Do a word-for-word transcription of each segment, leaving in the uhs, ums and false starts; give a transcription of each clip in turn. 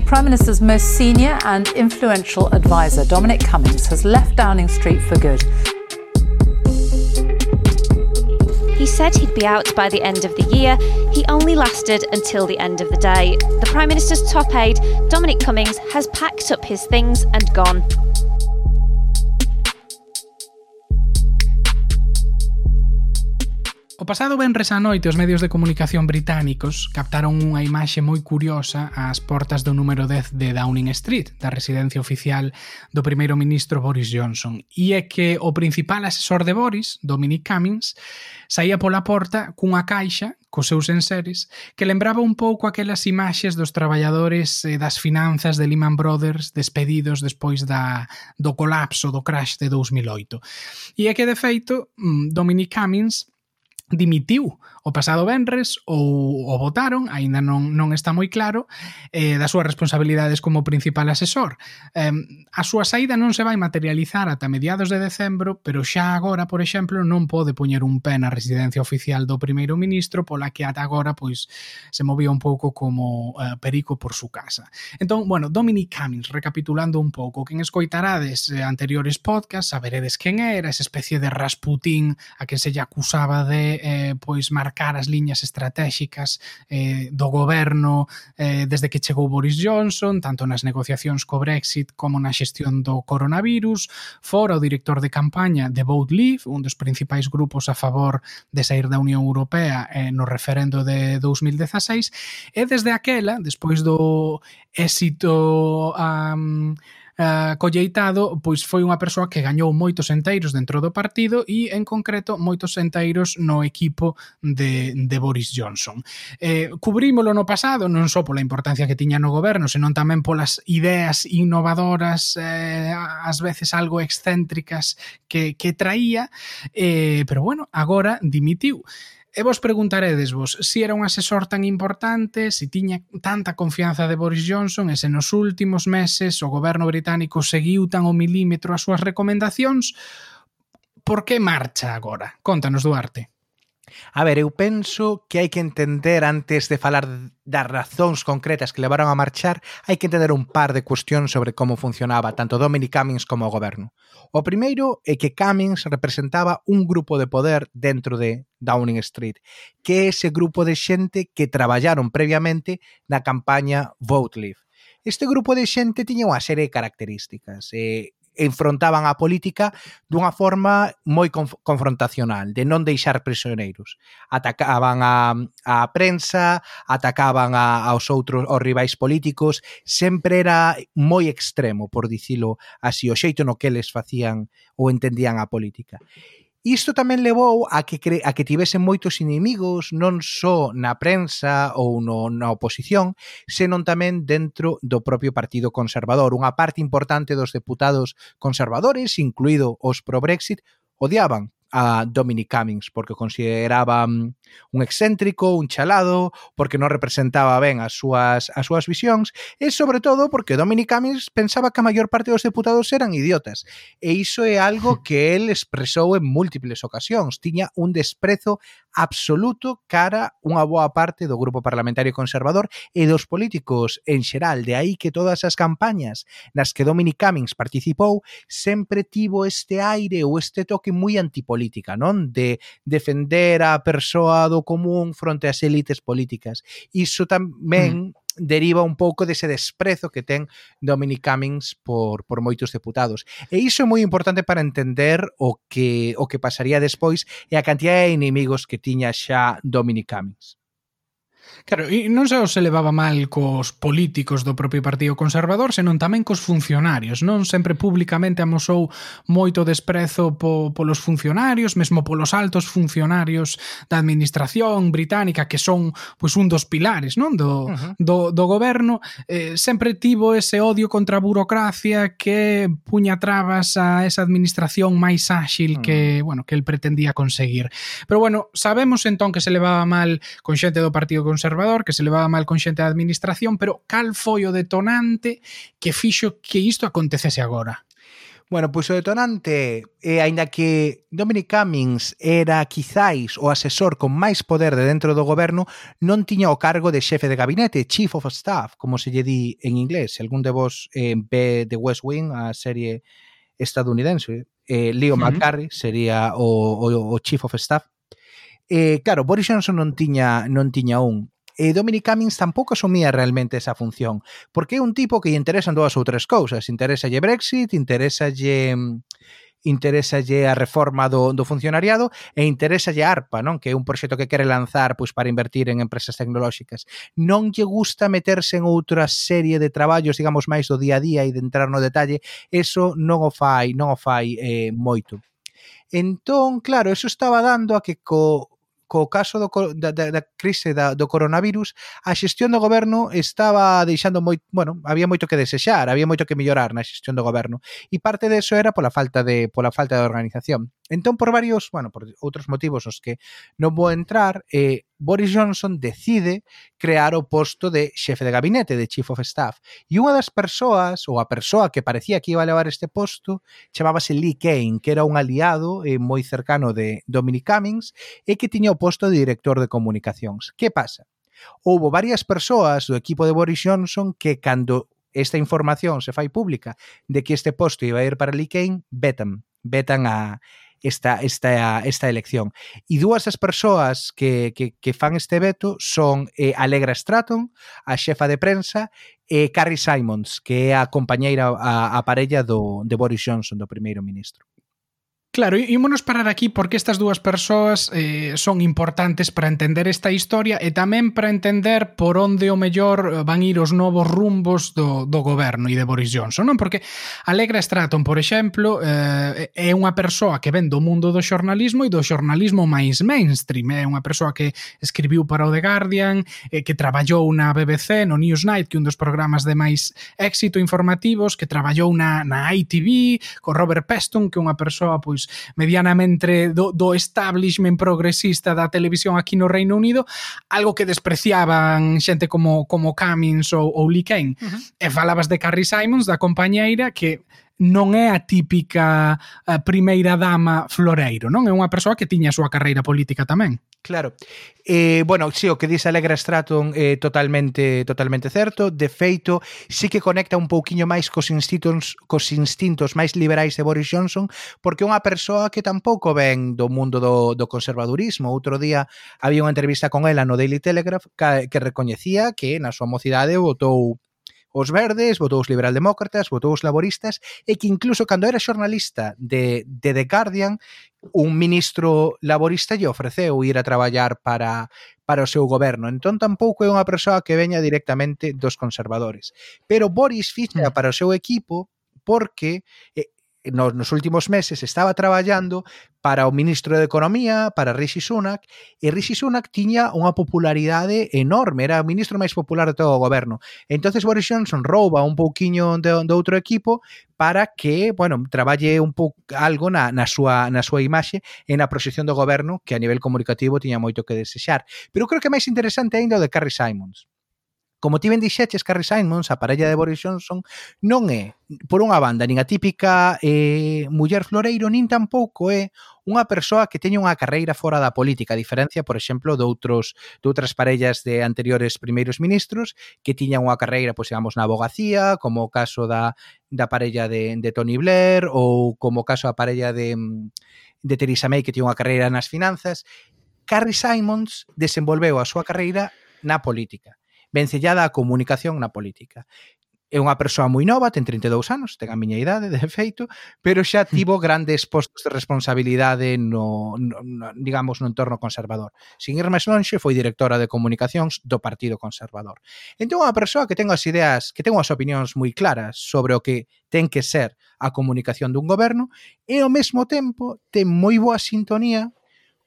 Prime Minister's most senior and influential advisor, Dominic Cummings, has left Downing Street for good. He said he'd be out by the end of the year. He only lasted until the end of the day. The Prime Minister's top aide, Dominic Cummings, has packed up his things and gone. O pasado venres á noite os medios de comunicación británicos captaron unha imaxe moi curiosa ás portas do número dez de Downing Street, da residencia oficial do primeiro ministro Boris Johnson. E é que o principal asesor de Boris, Dominic Cummings, saía pola porta cunha caixa cos seus enseres que lembraba un pouco aquelas imaxes dos traballadores eh, das finanzas de Lehman Brothers despedidos despois da, do colapso, do crash de dous mil oito. E é que, de feito, Dominic Cummings dimitiu o pasado venres ou o votaron, aínda non, non está moi claro, eh, das súas responsabilidades como principal asesor. Eh, a súa saída non se vai materializar ata mediados de decembro, pero xa agora, por exemplo, non pode poñer un pé na residencia oficial do primeiro ministro, pola que ata agora pois se movía un pouco como eh, perico por su casa. Entón, bueno, Dominic Cummings, recapitulando un pouco, quen escoitarades eh, anteriores podcasts, saberedes quen era, esa especie de Rasputín a que se lle acusaba de eh, pois marcar as liñas estratéxicas eh, do goberno eh, desde que chegou Boris Johnson, tanto nas negociacións co Brexit como na xestión do coronavirus. Fora o director de campaña de Vote Leave, un dos principais grupos a favor de sair da Unión Europea eh, no referendo de dous mil dezaseis, e desde aquela, despois do éxito um, Uh, colleitado, pois foi unha persoa que gañou moitos enteiros dentro do partido e, en concreto, moitos enteiros no equipo de, de Boris Johnson. Eh, cubrímolo no pasado, non só pola importancia que tiña no goberno, senón tamén polas ideas innovadoras, eh, ás veces algo excéntricas que, que traía, eh, pero bueno, agora dimitiu. E vos preguntaredesvos se era un asesor tan importante, se tiña tanta confianza de Boris Johnson e se nos últimos meses o goberno británico seguiu tan ao milímetro as súas recomendacións. Por que marcha agora? Contanos, Duarte. A ver, eu penso que hai que entender, antes de falar das razóns concretas que levaron a marchar, hai que entender un par de cuestións sobre como funcionaba tanto Dominic Cummings como o goberno. O primeiro é que Cummings representaba un grupo de poder dentro de Downing Street, que é ese grupo de xente que traballaron previamente na campaña Vote Leave. Este grupo de xente tiña unha serie de características e enfrontaban a política dunha forma moi conf- confrontacional, de non deixar prisioneiros. Atacaban a, a prensa, atacaban a, aos outros, aos rivais políticos, sempre era moi extremo, por dicilo así, o xeito no que eles facían ou entendían a política. Isto tamén levou a que, cre- a que tivesen moitos inimigos, non só na prensa ou no, na oposición, senón tamén dentro do propio Partido Conservador. Unha parte importante dos deputados conservadores, incluído os pro-Brexit, odiaban a Dominic Cummings porque consideraban un excéntrico, un chalado, porque non representaba ben as súas, as súas visións, e sobre todo porque Dominic Cummings pensaba que a maior parte dos deputados eran idiotas, e iso é algo que el expresou en múltiples ocasións. Tiña un desprezo absoluto cara unha boa parte do grupo parlamentario conservador e dos políticos en xeral. De aí que todas as campañas nas que Dominic Cummings participou sempre tivo este aire ou este toque moi antipolítica, non? De defender a persoa do común fronte ás élites políticas. Iso tamén mm. deriva un pouco dese desprezo que ten Dominic Cummings por, por moitos deputados. E iso é moi importante para entender o que, o que pasaría despois e a cantidad de inimigos que tiña xa Dominic Cummings. Claro, e non só se levaba mal cos políticos do propio Partido Conservador, senón tamén cos funcionarios, non? Sempre públicamente amosou moito desprezo po, polos funcionarios, mesmo polos altos funcionarios da administración británica, que son pois un dos pilares, non? Do, uh-huh. do, do goberno. Eh, sempre tivo ese odio contra a burocracia que puña trabas a esa administración máis áxil uh-huh. que, bueno, que el pretendía conseguir. Pero bueno, sabemos entón que se levaba mal con xente do Partido Conservador, conservador, que se levaba mal con xente da administración, pero cal foi o detonante que fixo que isto acontecese agora? Bueno, pois o detonante é, aínda que Dominic Cummings era quizáis o asesor con máis poder de dentro do goberno, non tiña o cargo de xefe de gabinete, Chief of Staff, como se lle di en inglés. Se algún de vos eh, ve The West Wing, a serie estadounidense, eh, Leo uh-huh. McCarthy sería o, o, o Chief of Staff. Eh, claro, Boris Johnson non tiña, non tiña un. E Dominic Cummings tampouco asumía realmente esa función, porque é un tipo que lle interesan dúas ou tres cousas. Interésalle Brexit, interésalle interésalle a reforma do, do funcionariado e interésalle ARPA, non? Que é un proxecto que quere lanzar pois, para invertir en empresas tecnolóxicas. Non lle gusta meterse en outra serie de traballos, digamos, máis do día a día e de entrar no detalle. Eso non o fai, non o fai eh, moito. Entón, claro, eso estaba dando a que co co caso do, da, da crise da, do coronavirus, a xestión do goberno estaba deixando moi, bueno, había moito que desexar, había moito que mellorar na xestión do goberno, e parte de eso era pola falta de pola falta de organización. Entón, por varios, bueno, por outros motivos os que non vou entrar, eh, Boris Johnson decide crear o posto de xefe de gabinete, de Chief of Staff. E unha das persoas, ou a persoa que parecía que iba a levar este posto, chamábase Lee Cain, que era un aliado eh, moi cercano de Dominic Cummings e que tiña o posto de director de comunicacións. Que pasa? Houbo varias persoas do equipo de Boris Johnson que cando esta información se fai pública de que este posto iba a ir para Lee Cain, vetan, vetan a esta, esta, esta elección. E dúas das persoas que, que, que fan este veto son eh, Allegra Stratton, a xefa de prensa, e Carrie Simons, que é a compañeira, a, a parella do, de Boris Johnson, do primeiro ministro. Claro, ímonos parar aquí porque estas dúas persoas eh, son importantes para entender esta historia e tamén para entender por onde o mellor van ir os novos rumbos do, do goberno e de Boris Johnson, non? Porque Allegra Stratton, por exemplo, eh, é unha persoa que ven do mundo do xornalismo e do xornalismo máis mainstream. É unha persoa que escribiu para o The Guardian, eh, que traballou na B B C, no Newsnight, que é un dos programas de máis éxito informativos, que traballou na, na I T V, con Robert Peston, que é unha persoa, pois, medianamente do, do establishment progresista da televisión aquí no Reino Unido, algo que despreciaban xente como, como Cummings ou, ou Lee Cain. Uh-huh. E falabas de Carrie Simons, da compañeira, que non é a típica a primeira dama floreiro, non? É unha persoa que tiña a súa carreira política tamén. Claro. Eh, bueno, sí, o que dice Allegra Stratton é eh, totalmente totalmente certo. De feito, sí que conecta un pouquiño máis cos instintos, cos instintos máis liberais de Boris Johnson, porque é unha persoa que tampouco ven do mundo do, do conservadurismo. Outro día había unha entrevista con ela no Daily Telegraph que, que recoñecía que na súa mocidade votou os verdes, votou os liberaldemócratas, votou os laboristas, e que incluso cando era xornalista de, de The Guardian, un ministro laborista lle ofreceu ir a traballar para, para o seu goberno. Entón tampouco é unha persoa que veña directamente dos conservadores. Pero Boris ficha para o seu equipo porque eh, nos, nos últimos meses estaba traballando para o ministro de Economía, para Rishi Sunak, e Rishi Sunak tiña unha popularidade enorme, era o ministro máis popular de todo o goberno. Entonces Boris Johnson rouba un pouquiño de, de outro equipo para que, bueno, traballe un pouco algo na, na, súa, na súa imaxe e na proxección do goberno, que a nivel comunicativo tiña moito que desexar. Pero creo que máis interesante ainda o de Carrie Simons. Como ti ben dixeches, Carrie Simons, a parella de Boris Johnson, non é, por unha banda, nin a típica eh, muller floreiro, nin tampouco é unha persoa que teña unha carreira fora da política, a diferencia, por exemplo, de, outros, de outras parellas de anteriores primeiros ministros que tiñan unha carreira, pois, digamos, na abogacía, como o caso da, da parella de, de Tony Blair, ou como o caso da parella de, de Theresa May, que tiña unha carreira nas finanzas. Carrie Simons desenvolveu a súa carreira na política, vencellada a comunicación na política. É unha persoa moi nova, ten trinta e dous anos, ten a miña idade, de feito, pero xa tivo grandes postos de responsabilidade no, no, no digamos, no entorno conservador. Sin ir máis lonxe, foi directora de comunicacións do Partido Conservador. Entón, unha persoa que ten as ideas, que ten as opinións moi claras sobre o que ten que ser a comunicación dun goberno e, ao mesmo tempo, ten moi boa sintonía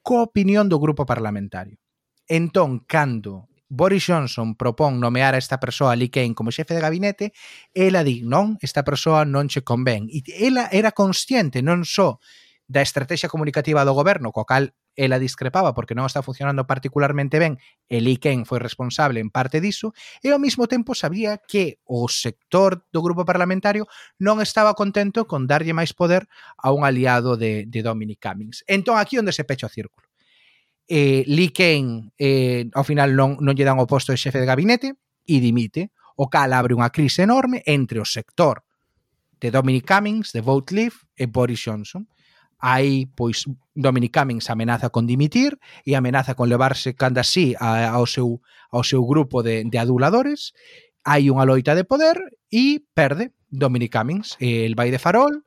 coa opinión do grupo parlamentario. Entón, cando Boris Johnson propón nomear a esta persoa, Lee Cain, como xefe de gabinete, ela di, non, esta persoa non che convén. E ela era consciente non só da estrategia comunicativa do goberno, coa cal ela discrepaba porque non está funcionando particularmente ben, e Lee Kane foi responsable en parte diso, e ao mesmo tempo sabía que o sector do grupo parlamentario non estaba contento con darlle máis poder a un aliado de, de Dominic Cummings. Entón, aquí onde se pecha o círculo. Eh, Lee Kane, eh, ao final, non, non lle dan o posto de xefe de gabinete e dimite, o cal abre unha crise enorme entre o sector de Dominic Cummings, de Vote Leave, e Boris Johnson. Aí, pois, Dominic Cummings amenaza con dimitir e amenaza con levarse canda así ao seu, ao seu grupo de, de aduladores. Hai unha loita de poder e perde Dominic Cummings. El vai de farol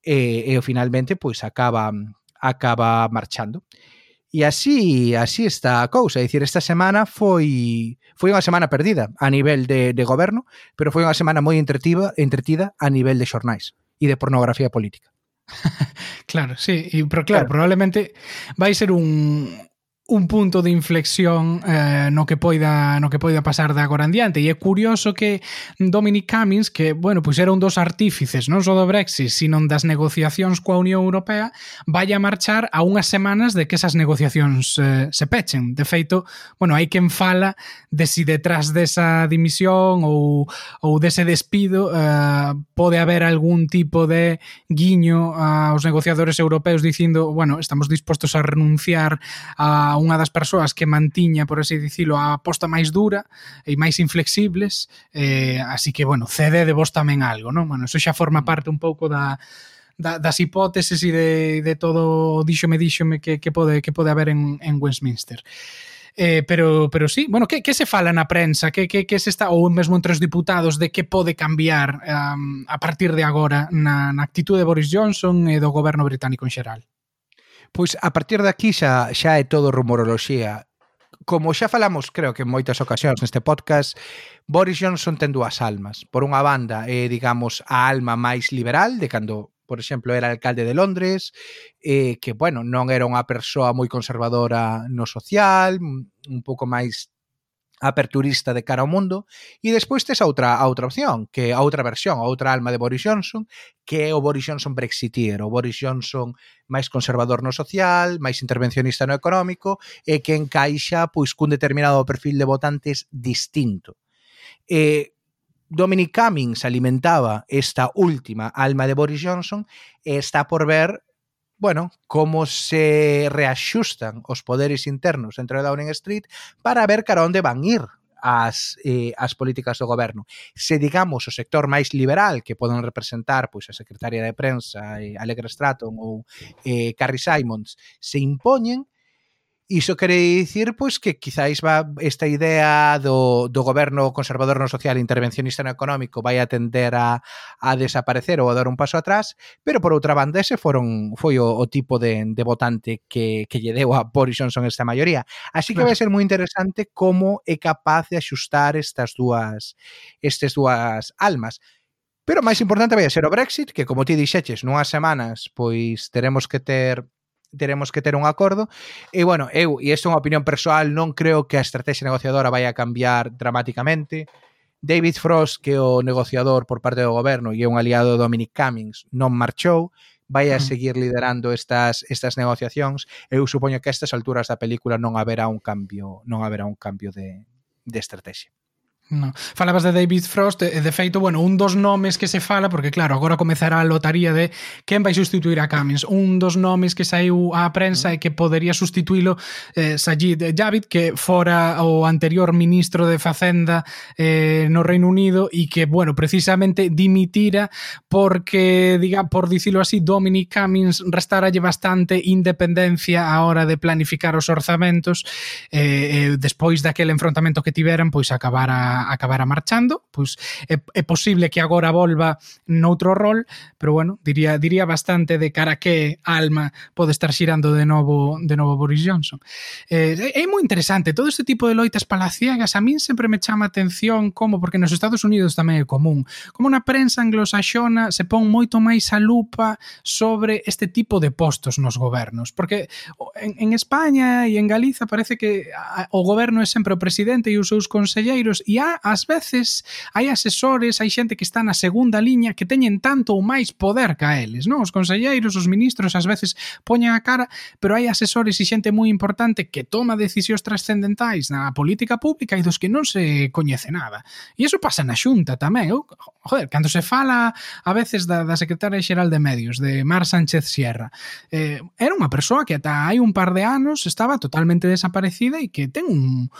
e, e finalmente, pois, acaba, acaba marchando. E así, así está a cousa. É dicir, esta semana foi foi unha semana perdida a nivel de, de goberno, pero foi unha semana moi entretida, entretida a nivel de xornais e de pornografía política. Claro, sí, y, pero claro, claro, probablemente vai ser un un punto de inflexión eh, no que poida no que poida pasar de agora en diante, e é curioso que Dominic Cummings, que, bueno, pois era un dos artífices non só do Brexit, sino das negociacións coa Unión Europea, vaya a marchar a unhas semanas de que esas negociacións eh, se pechen. De feito, bueno, hai quen fala de si detrás desa dimisión ou, ou dese despido eh, pode haber algún tipo de guiño aos negociadores europeos dicindo, bueno, estamos dispostos a renunciar a unha das persoas que mantiña, por así dicilo, a aposta máis dura e máis inflexibles, eh, así que, bueno, cede de vos tamén algo, non? Bueno, eso xa forma parte un pouco da, da, das hipóteses e de, de todo díxome, díxome que, que, pode, que pode haber en, en Westminster. Eh, pero, pero sí, bueno, que, que se fala na prensa, que, que, que se está, ou mesmo entre os diputados, de que pode cambiar um, a partir de agora na, na actitude de Boris Johnson e do goberno británico en xeral? Pois a partir de aquí xa, xa é todo rumoroloxía. Como xa falamos, creo que en moitas ocasións neste podcast, Boris Johnson ten dúas almas. Por unha banda, é, digamos, a alma máis liberal, de cando, por exemplo, era alcalde de Londres, eh, que, bueno, non era unha persoa moi conservadora no social, un pouco máis aperturista de cara ao mundo, e despois tes a outra, a outra opción, que a outra versión, a outra alma de Boris Johnson, que é o Boris Johnson brexitier, o Boris Johnson máis conservador no social, máis intervencionista no económico, e que encaixa pois cun determinado perfil de votantes distinto. E Dominic Cummings alimentaba esta última alma de Boris Johnson e está por ver, bueno, como se reaxustan os poderes internos dentro de Downing Street para ver cara onde van ir as, eh, as políticas do goberno. Se, digamos, o sector máis liberal que poden representar pois a secretaria de prensa, eh, Allegra Stratton ou eh, Carrie Simons, se impoñen, iso quere dicir pois que quizáis va esta idea do, do goberno conservador no social e intervencionista no económico vai a tender a, a desaparecer ou a dar un paso atrás, pero por outra banda ese foron, foi o, o tipo de, de votante que, que lle deu a Boris Johnson esta maioría. Así que vai ser moi interesante como é capaz de axustar estas dúas estas dúas almas. Pero máis importante vai a ser o Brexit, que como ti dixeches, nunhas semanas pois teremos que ter teremos que ter un acordo, e bueno, eu, e isto é unha opinión persoal, non creo que a estrategia negociadora vai a cambiar dramáticamente. David Frost, que é o negociador por parte do goberno e é un aliado de Dominic Cummings, non marchou, vai a seguir liderando estas estas negociacións. Eu supoño que a estas alturas da película non haberá un cambio, non haberá un cambio de, de estrategia. No. Falabas de David Frost e, de feito, bueno, un dos nomes que se fala, porque claro, agora comezará a lotaría de quen vai sustituir a Cummings. Un dos nomes que saiu á prensa é que podería sustituílo eh, Sajid Javid, que fora o anterior ministro de Facenda eh, no Reino Unido e que, bueno, precisamente dimitira porque, diga, por dicilo así, Dominic Cummings restaralle bastante independencia á hora de planificar os orzamentos, eh, eh, despois daquele enfrontamento que tiveran, pois acabara acabara marchando, pois é, é posible que agora volva noutro rol, pero bueno, diría diría bastante de cara a que alma pode estar xirando de novo de novo Boris Johnson. Eh, é moi interesante todo este tipo de loitas palaciegas. A min sempre me chama a atención como, porque nos Estados Unidos tamén é común, como na prensa anglosaxona se pon moito máis a lupa sobre este tipo de postos nos gobernos, porque en, en España e en Galiza parece que a, o goberno é sempre o presidente e os seus conselleiros, e quizá ás veces hai asesores, hai xente que está na segunda liña que teñen tanto ou máis poder que a eles, non? Os conselleiros, os ministros ás veces poñen a cara, pero hai asesores e xente moi importante que toma decisións trascendentais na política pública e dos que non se coñece nada. E iso pasa na Xunta tamén. Eu, joder, cando se fala a veces da, da secretaria xeral de Medios, de Mar Sánchez Sierra, eh, era unha persoa que ata hai un par de anos estaba totalmente desaparecida e que ten un,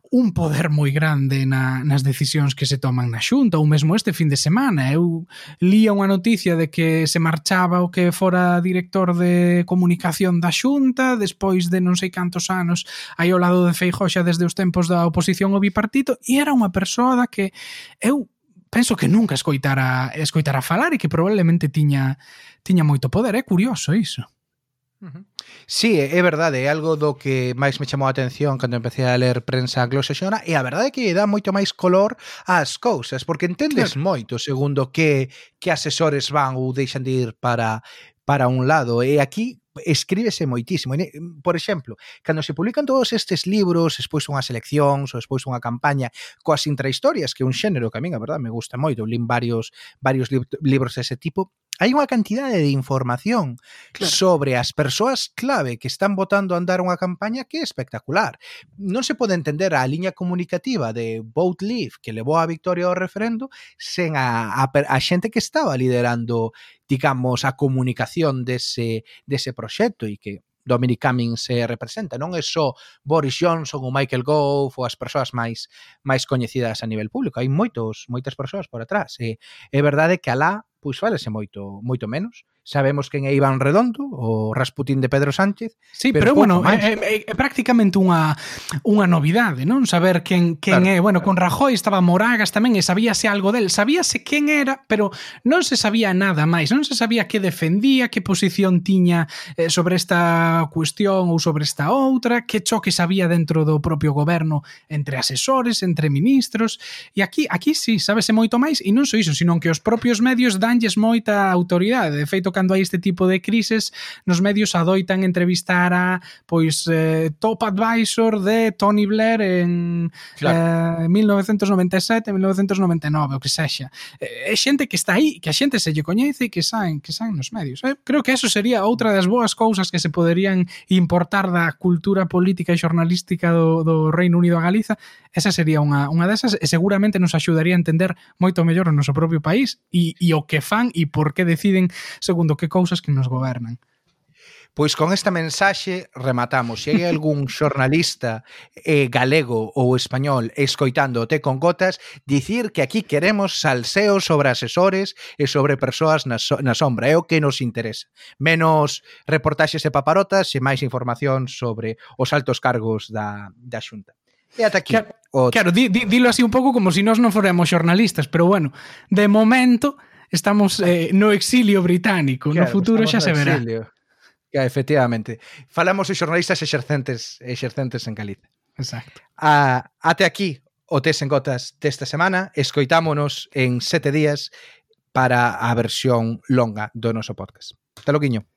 un poder moi grande na, nas decisións que se toman na Xunta, ou mesmo este fin de semana. Eu lía unha noticia de que se marchaba o que fora director de comunicación da Xunta despois de non sei cantos anos aí ao lado de Feijóo xa desde os tempos da oposición ao bipartito, e era unha persoa da que eu penso que nunca escoitara, escoitara falar e que probablemente tiña, tiña moito poder. É curioso iso. Sí, é verdade, é algo do que máis me chamou a atención cando empecé a ler prensa anglosaxona, e a verdade é que dá moito máis color ás cousas, porque entendes claro. moito segundo que, que asesores van ou deixan de ir para, para un lado, e aquí escríbese moitísimo. Por exemplo, cando se publican todos estes libros, despois unhas eleccións ou despois unha campaña coas intrahistorias, que é un xénero que a min, a verdade, me gusta moito, lin varios, varios libros dese tipo, hai unha cantidade de información claro. sobre as persoas clave que están botando a andar unha campaña que é espectacular. Non se pode entender a liña comunicativa de Vote Leave que levou a victoria ao referendo sen a, a, a xente que estaba liderando, digamos, a comunicación dese, dese proxecto, e que Dominic Cummings se representa. Non é só Boris Johnson ou Michael Gove ou as persoas máis máis coñecidas a nivel público. Hai moitos, moitas persoas por atrás. E é verdade que alá pois falese moito moito menos. Sabemos quen é Iván Redondo, o Rasputín de Pedro Sánchez. Sí, pero, pero bueno, é, é, é prácticamente unha unha novidade, non? Saber quen, quen claro, é. Bueno, claro. Con Rajoy estaba Moragas tamén e sabíase algo del. Sabíase quen era, pero non se sabía nada máis. Non se sabía que defendía, que posición tiña eh, sobre esta cuestión ou sobre esta outra, que choques había dentro do propio goberno entre asesores, entre ministros. E aquí, aquí sí, sábese moito máis, e non só iso, sino que os propios medios danlles moita autoridade. De feito, cando hai este tipo de crises, nos medios adoitan entrevistar a pois eh, top advisor de Tony Blair en claro. eh, mil novecentos noventa e sete, mil novecentos noventa e nove, o que sexa. É eh, xente que está aí, que a xente se lle coñece e que saen, que saen nos medios. Eh, creo que eso sería outra das boas cousas que se poderían importar da cultura política e xornalística do, do Reino Unido a Galiza. Esa sería unha, unha desas, e seguramente nos axudaría a entender moito mellor o noso propio país e, e o que fan e por que deciden segundo que cousas que nos gobernan. Pois con esta mensaxe rematamos. Se hai algún xornalista eh, galego ou español escoitando o Té con Gotas, dicir que aquí queremos salseo sobre asesores e sobre persoas na, so, na sombra. É o que nos interesa. Menos reportaxes e paparotas e máis información sobre os altos cargos da, da Xunta. E ata aquí. Claro, o... claro di, di, dilo así un pouco como se si nós non fóramos xornalistas, pero bueno, de momento estamos eh, no exilio británico, claro, no futuro xa se verá. Exilio. Que, efectivamente. Falamos de xornalistas exercentes, exercentes en Galicia. Exacto. A, até aquí o Tés en Gotas desta semana. Escoitámonos en sete días para a versión longa do noso podcast. Hasta logo, Quiño.